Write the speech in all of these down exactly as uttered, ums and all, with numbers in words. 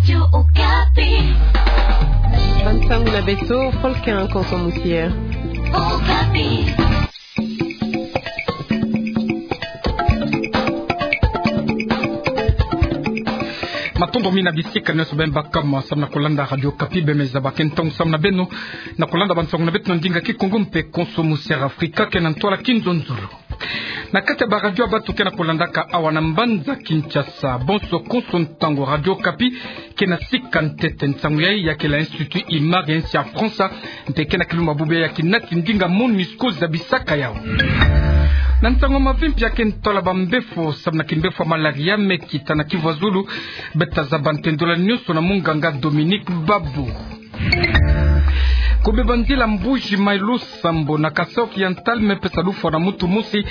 Radio Okapi. Bansangu na beto, Paul Ken Konso Musier. Okapi. Matondo mingi na bisika nyonso beno baka ma samu na kulanda Radio Okapi, beno me zaba ke ntangu samu na beno na kulanda bansangu na beto na ndinga Kikongo mpe Konso Musier Afrika, ke na ntwala Kinzonzolo. Na kati ya baradio ya bato ke na kulandaka awa na mbanza Kinshasa, bonso konso ntangu Radio Okapi ke na sika ntete. Nsangu yai ya kele Institut Imar ya nsi ya France, mpe ke na kilumbu bubu ya kinati ndinga MONUSCO zabisaka yau. Na nsangu ya mavimpi ya ke ntwala bambefo, samu na kimbefo ya malaria me kita na Kivu ya Zulu, beta zaba ntendola nyonso na munganga Dominique Babu. Kubeba nzila Mbuji Mayi, losambo na Kasaï Oriental me pesa lufwa na muntu mosi.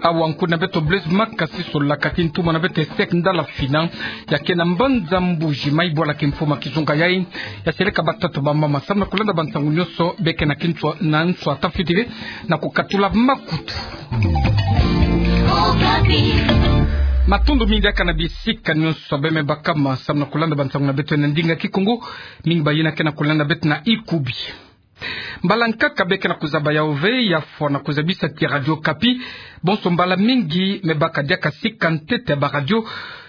Awa nkuna beto Blaise Makasi solaka ti ntuma na beto Esek Ndala Fina, ya ke na mbanza Mbuji Mayi, bwala kimfumu ya kizunga yai. Ya seleka batata, bamama, samu na kulanda bansangu nyonso, beno ke na kinswa na nswa ta fitiri na kukatula makutu. Matondo mingi diaka na bisika nyonso beno me baka ma samu na kulanda bansangu na beto na ndinga Kikongo. Mingi bayina ke na kulanda beto na ikubi. Mbala nkaka beno ke na kuzaba yau ve, ya fwana kuzabisa ti Radio Okapi, bonso mbala mingi me baka diaka sika ntete ya baradio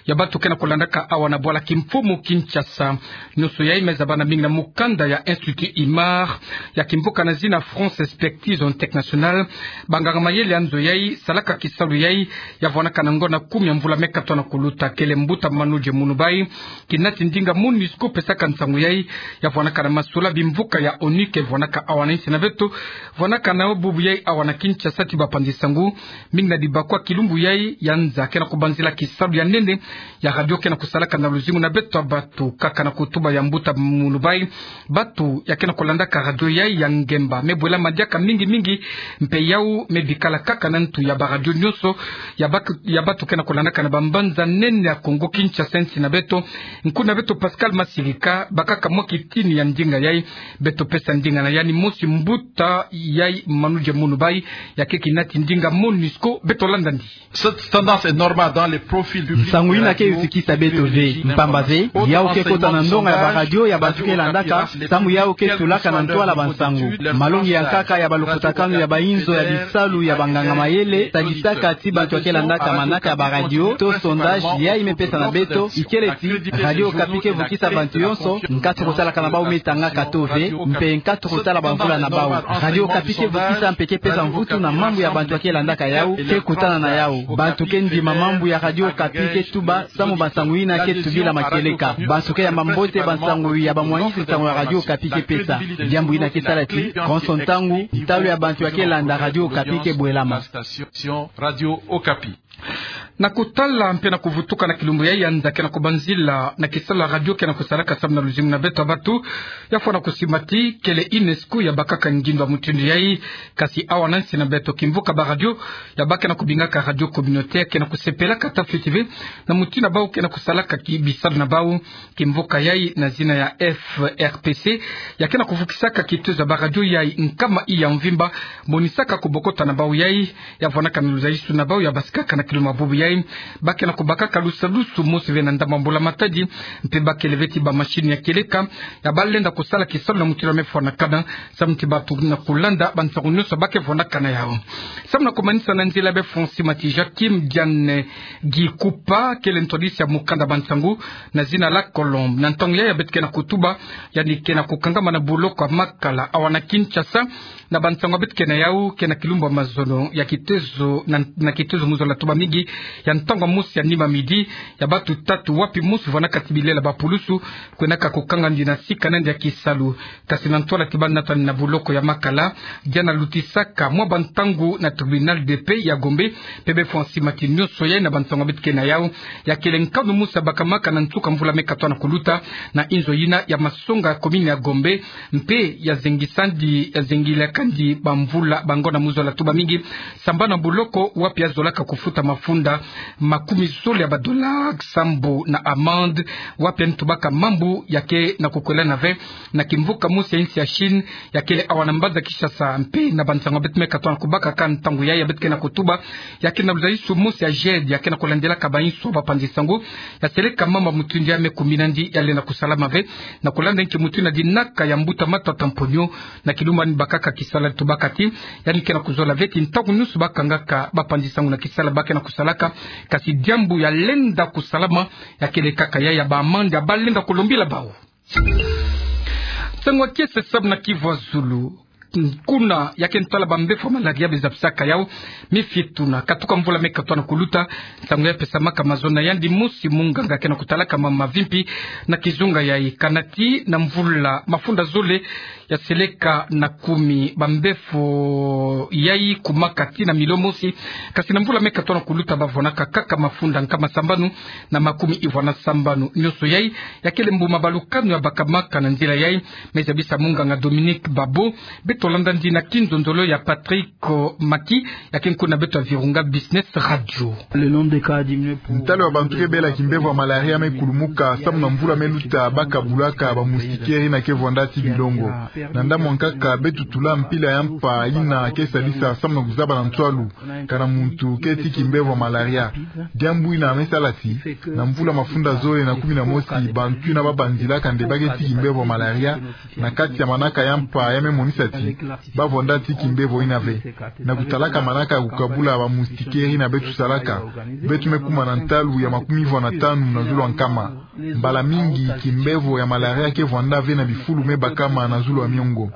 ya bato ke na kulandaka awa na bwala kimfumu Kinshasa. Nyonso yai me zabana mingi na mukanda ya Institut Imar, ya kimvuka na zina France Expertise Internationale. Banganga mayele ya nzo yai salaka kisalu yai, ya vwanaka na ngonda kumi ya mvula me katoto na kuluta. Kele mbuta Manudje Munubai, kinati ndinga MONUSCO pesaka nsangu yai, ya vwanaka na masola bimvuka ya ONU ke vwanaka awa na nsi na beto, vwanaka na bubu yai awa na Kinshasa ti bapanzi nsangu. Mingi na dibakwa kilumbu yai ya nza ke na kubanzila kisalu ya nene ya radio ke na kusalaka na luzingu na beto ya bato, kaka na kutuba ya mbuta Munubai. Bato ya ke na kulandaka radio yai ya ngemba me bwelama diaka mingi mingi, mpe yau me bikala kaka na ntu ya baradio nyonso ya bak-, ya bato ke na kulandaka na bambanza nene ya Kongo Kinshasa, nsi na beto. Nkuna beto Pascal Masirika, bakaka mwa kitini ya ndinga yai, beto pesa ndinga na yandi mosi, mbuta yai Manudje Munubai, ya ke kinati ndinga MONUSCO, beto landa ndi. Cette tendance est normale dans les profils du public. Nsangu yina ke yuzikisa beto ve, mpamba ve yau ke kota na ndonga ya baradio ya bato ke landaka, samu yau ke tulaka na ntwala bansangu. Malongi ya nkaka ya balukutakanu ya bainzo ya bisalu ya banganga mayele, talisaka ti bato ya ke landaka manaka ya baradio to sondage yai me pesa na beto, ikele ti Radio Okapi ke vukisa bantu yonso, nkatu kusalaka na bau me tangaka to ve, mpe nkatu kusala bamvula na bau. Radio Okapi ke vukisa mpe ke pesa mvutu na mambu ya bantu ya ke landaka yau, ke kutana na yau. Bantu ke ndima mambu ya Radio Okapi ke tuba, samu bansangu yina ke tubila makieleka. Bantu ke yamba mbote bansangu ya bamwangisi nsangu ya Radio Okapi ke pesa. Diambu yina ke sala ti, konso ntangu, ntalu ya bantu ya ke landa Radio Okapi ke bwelama. Na kutala mpe na kuvutuka na kilumbu yai ya nza ke na kubanzila na kisalu ya radio ke na kusalaka samu na luzingu na beto ya bato, ya fwana kusimba ti kele UNESCO ya bakaka ngindu ya mutindu yai. Kasi awa na nsi na beto, kimvuka baradio ya ba ke na kubingaka radio communautaire ke na kusepelaka ta fiti ve na mutindu ya bau ke na kusalaka ki bisalu na bau. Kimvuka yai na zina ya F R P C, ya ke na kuvukisaka kitezo ya baradio yai nkama i ya mvimba, monisaka kubokota na bau yai, ya vwanaka na luzaisu na bau ya basikaka na kilumbu ya bubu yai. Ba ke na kubakaka lusadusu mosi ve na ndambu ya mbula matadi, mpe ba kele ve ti bamachine ya kieleka ya ba lenda kusala kisalu na mutindu ya me fwanakana, samu ti bato na kulanda bansangu nyonso ba ke fwanakana yau. Samu na kumanisa, na nzila ya be Francis Mati, Joachim Diane Gikupa, kele ntwadisi ya mukanda bansangu na zina La Colombe. Na ntangu yai ya beto ke na kutuba, yandi ke na kukangama na boloko ya Makala awa na Kinshasa, na bansangu ya beto ke na yau, ke na kilumbu ya mazono ya kitezo, na, na kitezo mu zola tuba mingi, ya ntangu ya mosi ya nima midi, ya bato tatu wapi mosi vwanaka ti bilela ba pulusu, kwenaka kukanga ndi na sika na ndi ya kisalu. Kasi na ntwala ti ba natani na boloko ya Makala, Diane alutisaka mwa bantangu na tribunal de paix ya Gombe, mpe be Francis Mati, nyonso yai na bansangu ya beto ke na yau, ya kele nkanu mosi ya bakamaka na nsuka mvula me katoto na kuluta, na inzo yina ya masonga ya commune ya Gombe, mpe ya zengisa ndi, ya zengilaka ndi bamvula, bangonda mu zola tuba mingi, sambanu na boloko wapi ya zolaka kufuta mafunda makumi zole ya ba dollars sambu na amende, wapi yandi tubaka mambu ya ke na kukwelana ve na kimvuka mosi ya insi ya Chine, ya kele awa na mbanza Kinshasa. Mpe na bansango ya beto me katoa na kubaka ka ntangu yayi ya beto ke na kutuba, ya ke na luzalisu mosi ya GIED, ya ke na kulandilaka bainso ba panzi sango, ya seleka mambu ya mutindu yayi me kumina nandi ya lenda kusalama ve, na kulanda nki mutindu na dinaka ya mbuta Matata Mponyo, na kilumbu yandi bakaka kisalali, tubaka ti yandi ke na kuzola ve ti ntangu nyonso ba kangaka ba panzi sango na kisalali ba ke na kusalaka, kasi diambu ya lenda kusalama, ya kele kaka yayi ya ba amende ya ba lenda kulombila bawu. Nsangu ya kiese sambu na Kivu ya Zulu. Nkuna ya ke na tala ba mbevo ya malaria, be zabisaka yawu, me fie tuna, katuka mvula me katoa na kuluta, nsangu yayi pesamaka mazono na yandi mosi munganga ke na kutalaka mambu mavimpi na kizunga yayi. Kana ti na mvula mafunda zole ya seleka na kumi ba mbevo yayi kumaka ti na milio mosi, kasi na mvula me katoa na kuluta ba vonaka kaka mafunda nkama sambanu na makumi ivwa na sambanu. Nyonso yayi ya kele mbuma balukanu ya bakamaka na nzila yayi, me zabisa munganga Dominique Babo. Beto landa nandi na kinzonzolo ya Patrick Maki, ya ke nkuna beto ya Virunga Business Radio. Ntalu ya bantu ke bela kimbevo ya malaria me kulumuka sambu na mvula me luta, ba kabulaka ba moustiquaire yina ke vwanda ti bilongo. Na ndambu ya nkaka beto tula mpila ya mpa yina ke sadisa sambu na kuzaba na ntwalu kana muntu ke ti kimbevo ya malaria. Diambu yina me sala ti na mvula mafunda zole na kumi na mosi, bantu yina ba banzilaka nde ba ke ti kimbevo ya malaria, na kati ya manaka ya mpa ya me monisa ti ba vwanda ti kimbevo yina ve. Na kutalaka manaka ya kukabula ba moustiquaire yina beto salaka, beto me kuma na ntalu ya makumi ivwa na tanu na zulu ya nkama. Mbala mingi kimbevo ya malaria ke vwanda ve na bifulu me bakama na zulu ya miongo.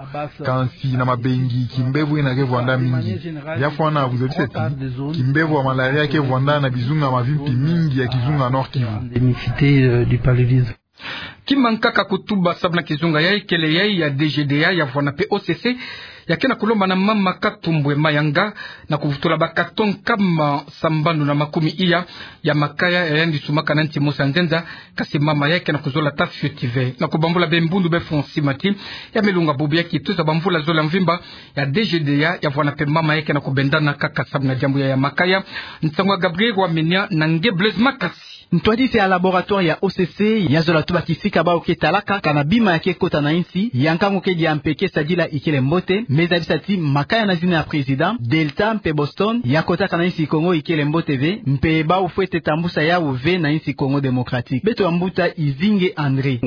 Kansi na mabengi kimbevo yina ke vwanda mingi. Ya fwana kuzabisa ti kimbevo ya malaria ke vwanda na bizunga mavimpi mingi ya kizunga Nord-Kivu. Kima nkaka kutuba sambu na kizunga yayi kele yayi ya D G D A, ya vwana pe O C C, ya ke na kulomba na mama Katumbwe Mayanga na kuvutula ba carton nkama sambanu na makumi iya ya makaya ya yandi sumbaka na nti mosi ya nzenza, kasi mama yayi ke na kuzola ta fioti ve. Na kubambula be mbundu be fonds Simati, ya me lunga bubu ya kituza ba mvula zole ya mvimba, ya D G D A ya vwana pe mama yayi ke na kubendana kaka sambu na diambu yayi ya makaya. Nsangu ya Gabriel Wamenia na nge Blaise Makasi. Ntwadisi ya laboratoire ya O C C ya zola tuba kisika bawu ke talaka kana bima ya ke kota na insi, ya nkangu ke dia mpe ke sadila ikele mbote, me zabisa ti makaya na zina ya président, Delta mpe Boston, ya kotaka na insi Congo ikele mbote ve, mpe bawu fwete tambusa yawu ve na insi Congo Démocratique. Beto ya mbuta Izinge André.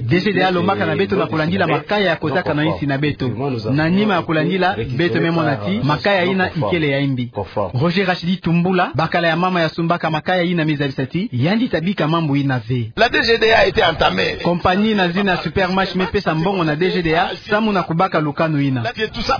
D G D A alombaka na beto na kulandila makaya ya kotaka na insi na beto. Na nima ya kulandila, beto me mona ti makaya yina ikele ya imbi. Roger Rachidi Tumbula, bakala ya mama ya sumbaka makaya yina, me zabisa ti yandi ta bika mambu yina ve. La D G D A a été entamée. Compagnie na zina Supermash me pesa mbongo na D G D A samu na kubaka lukanu yina.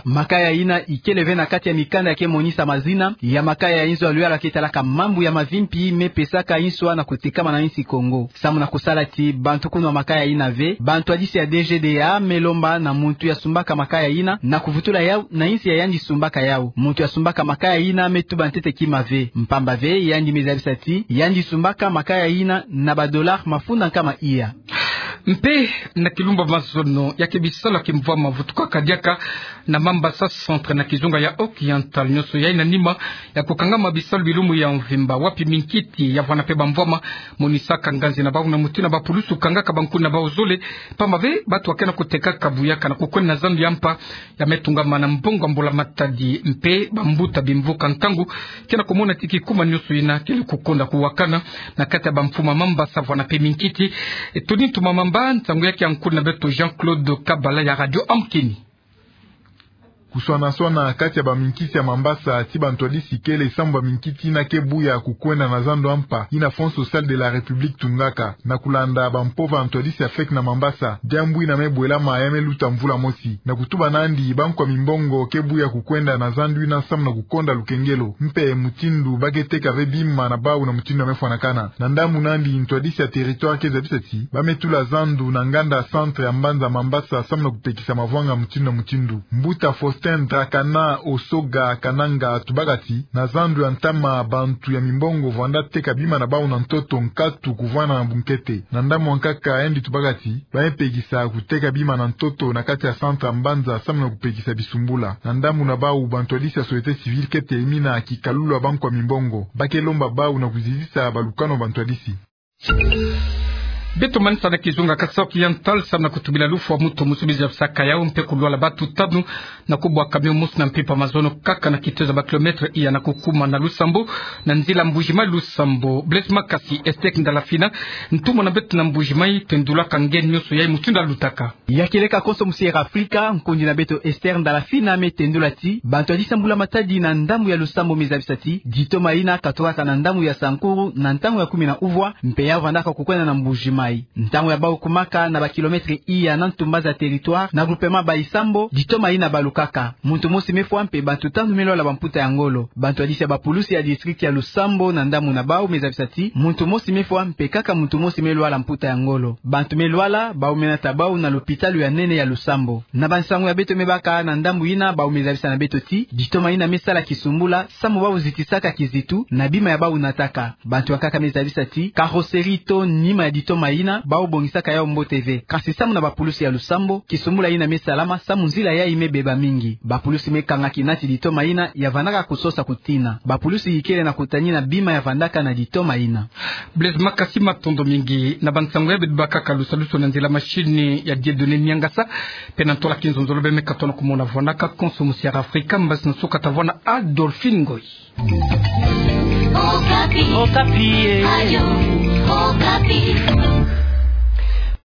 Makaya yina ikele ve na kati ya mikanda ya ke monisa mazina ya makaya ya inzo ya luyala ke talaka mambu ya mavimpi me pesaka inswa na kutekama na insi Congo, samu na kusala ti bantu kunwa makaya yina ve. Bantwadisi ya D G D A me lomba na muntu ya sumbaka makaya yina na kuvutula yawu na insi ya yandi sumbaka yawu. Muntu ya sumbaka makaya yina me tuba ntete kima ve, mpamba ve yandi me zabisa ti yandi sumbaka makaya yina na ba dollars mafunda nkama iya. Mpe na kilumbu ya mazono ya ke bisalu ya kimvwama vutukaka diaka na Mambasa Centre na kizunga ya Oriental. Nyonso yayi na nima ya kukangama bisalu bilumbu ya mvimba, wapi minkiti ya vwana pe bamvwama monisaka nganzi na bawu na mutindu na bapulusu kangaka bankuna na bawu zole, mpamba ve bantu ya ke na kutekaka buyaka na kukwenda na zandu ya mpa ya me tungama na mbongo ya mbula matadi. Mpe bambuta bimvuka nkangu ke na kumona ti kikuma nyonso yina kele kukonda kuwakana na kati ya bamfumu ya Mambasa vwana pe minkiti. E, Tony Ntuma Mamba, nsangu ya ke ya nkulu na beto Jean-Claude Kabala ya Radio Amkeni. Kuswana-swana kati ya baminkiti ya Mambasa ti bantwadisi kele samu baminkiti yina ke buya kukwenda na zandu ya mpa yina Fonds Social de la République tungaka, na kulanda bampova ya ntwadisi ya feke na Mambasa. Diambu yina me bwelama ya me luta mvula mosi. Na kutuba nandi, bankwa mimbongo ke buya kukwenda na zandu yina samu na kukonda lukengelo mpe mutindu ba ke teka ve bima na bawu na mutindu ya me fwanakana. Na ndambu nandi, ntwadisi ya territoire ke zabisa ti ba me tula zandu na nganda centre ya mbanza Mambasa samu na kutekisa mavwanga mutindu na mutindu. Mbuta Faustin Augustin Drakana Osoga Kananga tubaka ti, na zandu ya ntama bantu ya mimbongo vwanda teka bima na bau na ntoto nkatu kuvwana na bunkete. Na ndambu nkaka yandi tubaka ti, ba ye pekisa kuteka bima na ntoto na kati ya centre ya mbanza samu na kupekisa bisumbula. Na ndambu na bau, bantu ya lisi ya société civile kete mina kikalulu ya bankwa mimbongo. Ba ke lomba bau na kuzizisa balukanu ya bantu ya lisi. Beto manisa na kizunga Kasaï Oriental samu na kutubila lufwa muntu mosi mizabisaka yau mpe kulwala batu tanu na kubwa camion mosi na mpimpa mazono kaka na kitezo ya ba kilomètre iya na kukuma na Lusambo, na nzila Mbuji-Mayi Lusambo. Blaise Makasi, Esther Ndalafina, ntumwa na beto na Mbuji-Mayi, tendulaka nge nionso yai mutindu ya lutaka. Ya kieleka konso musi Air Africa, nkundi na beto Esther Ndalafina me tendula ti, bantu ya lisi ya mbula-matadi na ndambu ya Lusambo me zabisa ti, ditoma yina katukaka na ndambu ya Sankuru na ntangu ya kumi na uvwa, mpe ya vandaka kukwenda na Mbuji-Mayi. Ntangu ya bau kumaka na ba kilomètre iya na ntumba za territoire na groupement Bayi-Sambo, ditoma yina balukaka. Muntu mosi me fwa mpe bantu tanu me lwala bamputa ya ngolo. Bantu ya lisi ya bapulusi ya district ya Lusambo na ndambu na bau me zabisa ti, muntu mosi me fwa mpe kaka muntu mosi me lwala mputa ya ngolo. Bantu me lwala, bau me nata bau na lopitalo ya nene ya Lusambo. Na bansangu ya beto me baka na ndambu yina, bau me zabisa na beto ti, ditoma yina me sala kisumbula, samu bau zitisaka kizitu na bima ya bau nataka. Bantu ya nkaka me zabisa ti, carrosserie to nima ya ditoma yina, bau bongisaka yau mbote ve. Kasi samu na bapulusi ya Lusambo, kisumbula yina me salama, samu nzila yai me beba mingi. Bapulusi me kanga kina ti ditoma yina ya vandaka kusosa kutina. Bapulusi ikele na kutanina bima ya vandaka na ditoma yina. Blaise Makasi, matondo mingi. Na bansangu ya beto bakaka lusalusu na nzila machine ya Dieudonné Niangasa, mpe na ntola kinzonzolo beno me katono kumona vwanaka konso musi Air Africa, mbasi na suka ta vwana Adolphine Ngoyi. Okapi. Okapi, eh. Radio Okapi.